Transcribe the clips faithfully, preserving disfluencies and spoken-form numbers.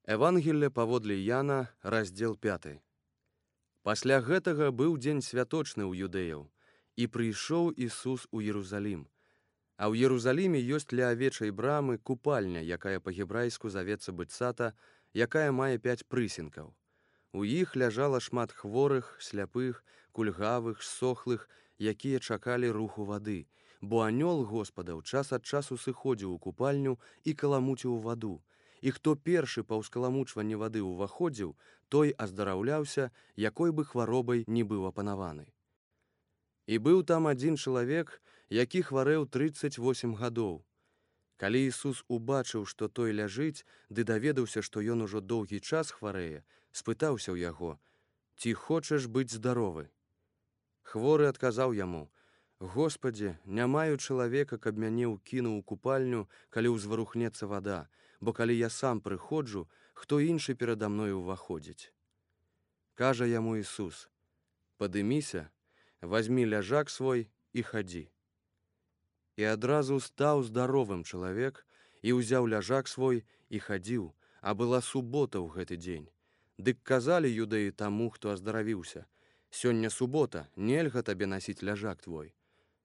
Евангелле паводле Яна, раздзел пяты. Пасля гэтага быў дзень святочны ў юдэяў, і прыйшоў Ісус у Єрусалім. А ў Єрусаліме ёсць ля авечай брамы купальня, якая па-гебрайску завецца Быцата, якая мае пяць прысенкаў. У іх ляжала шмат хворых, сляпых, кульгавых, сохлых, якія чакалі руху вады, бо анёл Господаў час ад часу сыходзіў у купальню і каламуціў ваду. І хто першы па ўскаламучванні вады ўваходзіў, той аздараўляўся, якой бы хваробай не быў апанаваны. І быў там адзін чалавек, які хварэў трыццаць восем гадоў. Калі Ісус убачыў, што той ляжыць, ды даведаўся, што ён ужо доўгі час хварэе, спытаўся ў яго: «Ці хочаш быць здаровы?» Хворы адказаў яму: «Господі, не маю чалавека, каб мяне ўкінуў у купальню, калі ўзварухнецца вада, бо калі я сам прыходжу, хто іншы перада мною ўваходзіць?» Кажа яму Ісус: «Падыміся, вазьмі ляжак свой і хадзі». І адразу стаў здаровым чалавек, і ўзяў ляжак свой і хадзіў, а была субота ў гэты дзень. Дык казалі юдэі таму, хто аздаравіўся: «Сёння субота, нельга табе насіць ляжак твой».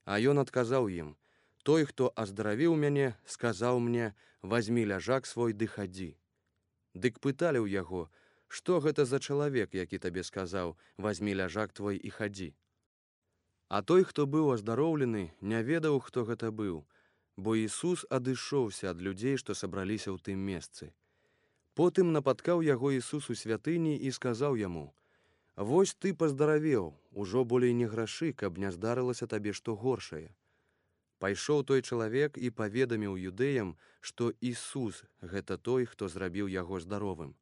А ён адказаў ім: «Той, хто аздаравіў мяне, сказаў мне: вазьмі ляжак свой ды хадзі». Дык пыталі ў яго: «Што гэта за чалавек, які табе сказаў: вазьмі ляжак твой і хадзі?» А той, хто быў аздароўлены, не ведаў, хто гэта быў, бо Ісус адышоўся ад людзей, што сабраліся ў тым месцы. Потым напаткаў яго Ісус у святыні і сказаў яму: «Вось ты паздаравеў, ужо болей не грашы, каб не здарылася табе што горшае». Пайшоў той чалавек і паведаміў юдэям, што Ісус гэта той, хто зрабіў яго здаровым.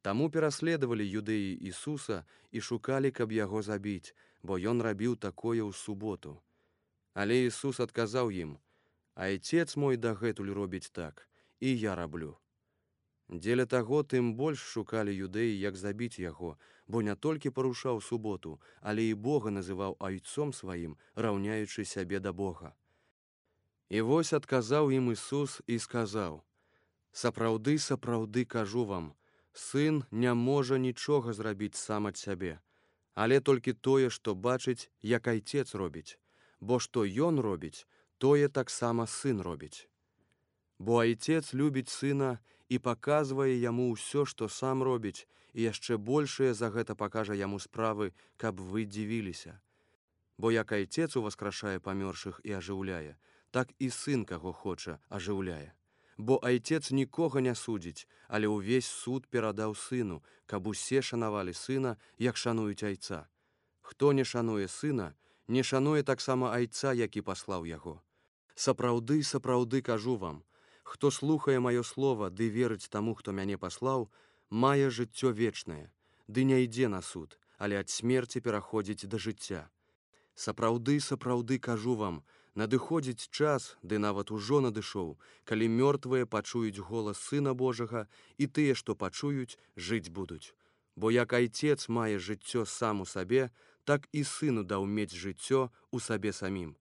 Таму пераследавалі юдэі Ісуса і шукалі, каб яго забіць, бо ён рабіў такое ў суботу. Але Ісус адказаў ім: «Айцец мой дагэтуль робіць так, і я раблю». Дзеля таго тым больш шукалі юдэі, як забіць яго, бо не толькі парушаў суботу, але і Бога называў айцом сваім, раўняючы сябе да Бога. І вось адказаў ім Ісус і сказаў: «Сапраўды, сапраўды кажу вам, сын не можа нічога зрабіць сам ад сябе, але толькі тое, што бачыць, як айцец робіць, бо што ён робіць, тое таксама сын робіць. Бо айцец любіць сына і паказвае яму ўсё, што сам робіць, і яшчэ большае за гэта пакажа яму справы, каб вы дзівіліся. Бо як айцец уваскрашае памёршых і ажыўляе, так і сын, каго хоча, ажыўляе. Бо айцец нікога не судзіць, але ўвесь суд перадаў сыну, каб усе шанавалі сына, як шануюць айца. Хто не шануе сына, не шануе таксама айца, які паслаў яго. Сапраўды, сапраўды кажу вам, хто слухае маё слова ды верыць таму, хто мяне паслаў, мае жыццё вечнае, ды не ідзе на суд, але ад смерці пераходзіць да жыцця. Сапраўды, сапраўды кажу вам, надыходзіць час, ды нават ужо надышоў, калі мёртвыя пачуюць голас Сына Божага, і тыя, што пачуюць, жыць будуць. Бо як айцец мае жыццё сам у сабе, так і сыну даў мець жыццё у сабе самім.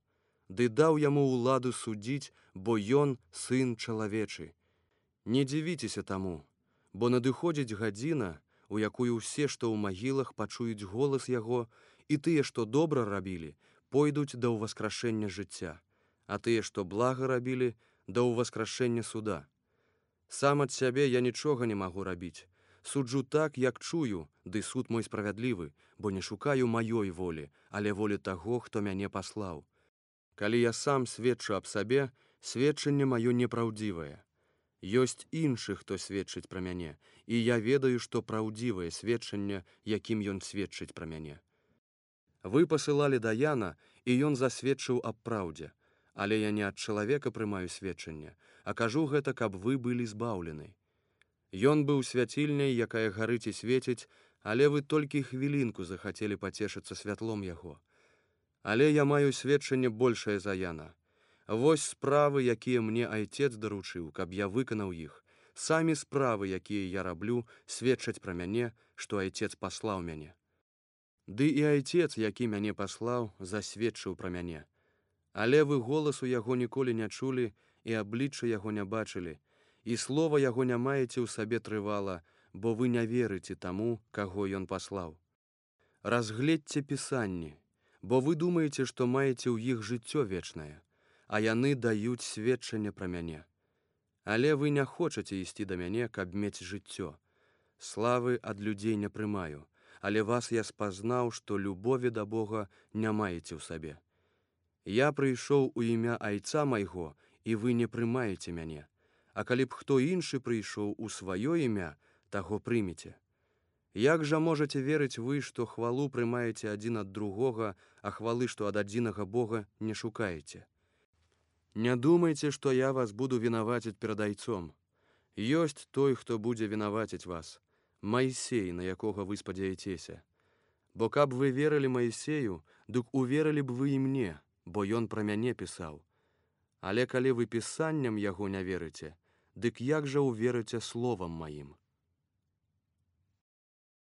Ды даў яму ўладу судзіць, бо ён сын чалавечы. Не дзівіцеся таму, бо надыходзіць гадзіна, у якую ўсе, што ў магілах, пачуюць голас яго, і тыя, што добра рабілі, пойдуць да ўваскрашэння жыцця, а тыя, што блага рабілі, да ўваскрашэння суда. Сам ад сябе я нічога не магу рабіць. Суджу так, як чую, ды суд мой справядлівы, бо не шукаю маёй волі, але волі таго, хто мяне паслаў. Калі я сам сведчу аб сабе, сведчанне маё непраўдзівае. Ёсць іншы, хто сведчыць пра мяне, і я ведаю, што праўдзівае сведчанне, якім ён сведчыць пра мяне. Вы пасылалі да Яна, і ён засведчыў аб праўдзе, але я не ад чалавека прымаю сведчанне, а кажу гэта, каб вы былі збаўлены. Ён быў свяцільняй, якая гарыць і свеціць, але вы толькі хвілінку захацелі пацешыцца святлом яго. Але я маю сведчанне большае за Яна. Вось справы, якія мне айцец даручыў, каб я выканаў іх. Самі справы, якія я раблю, сведчаць пра мяне, што айцец паслаў мяне. Ды і айцец, які мяне паслаў, засведчыў пра мяне. Але вы голасу яго ніколі не чулі і аблічча яго не бачылі, і слова яго не маеце ў сабе трывала, бо вы не верыце таму, каго ён паслаў. Разгледзьце пісанні, бо вы думаеце, што маеце ў іх жыццё вечнае, а яны даюць сведчанне пра мяне. Але вы не хочаце ісці да мяне, каб мець жыццё. Славы ад людзей не прымаю, але вас я спазнаў, што любові да Бога не маеце ў сабе. Я прыйшоў у імя Айца майго, і вы не прымаеце мяне. А калі б хто іншы прыйшоў у сваё імя, таго прымеце. Як жа можаце верыць вы, што хвалу прымаеце адзін ад другога, а хвалы, што ад адзінага Бога, не шукаеце? Не думайце, што я вас буду вінаваціць перад Айцом. Ёсць той, хто будзе вінаваціць вас, Майсей, на якога вы спадзяецеся. Бо каб вы верылі Майсею, дык уверылі б вы і мне, бо ён пра мяне пісаў. Але калі вы пісанням яго не верыце, дык як жа уверыце словам маім?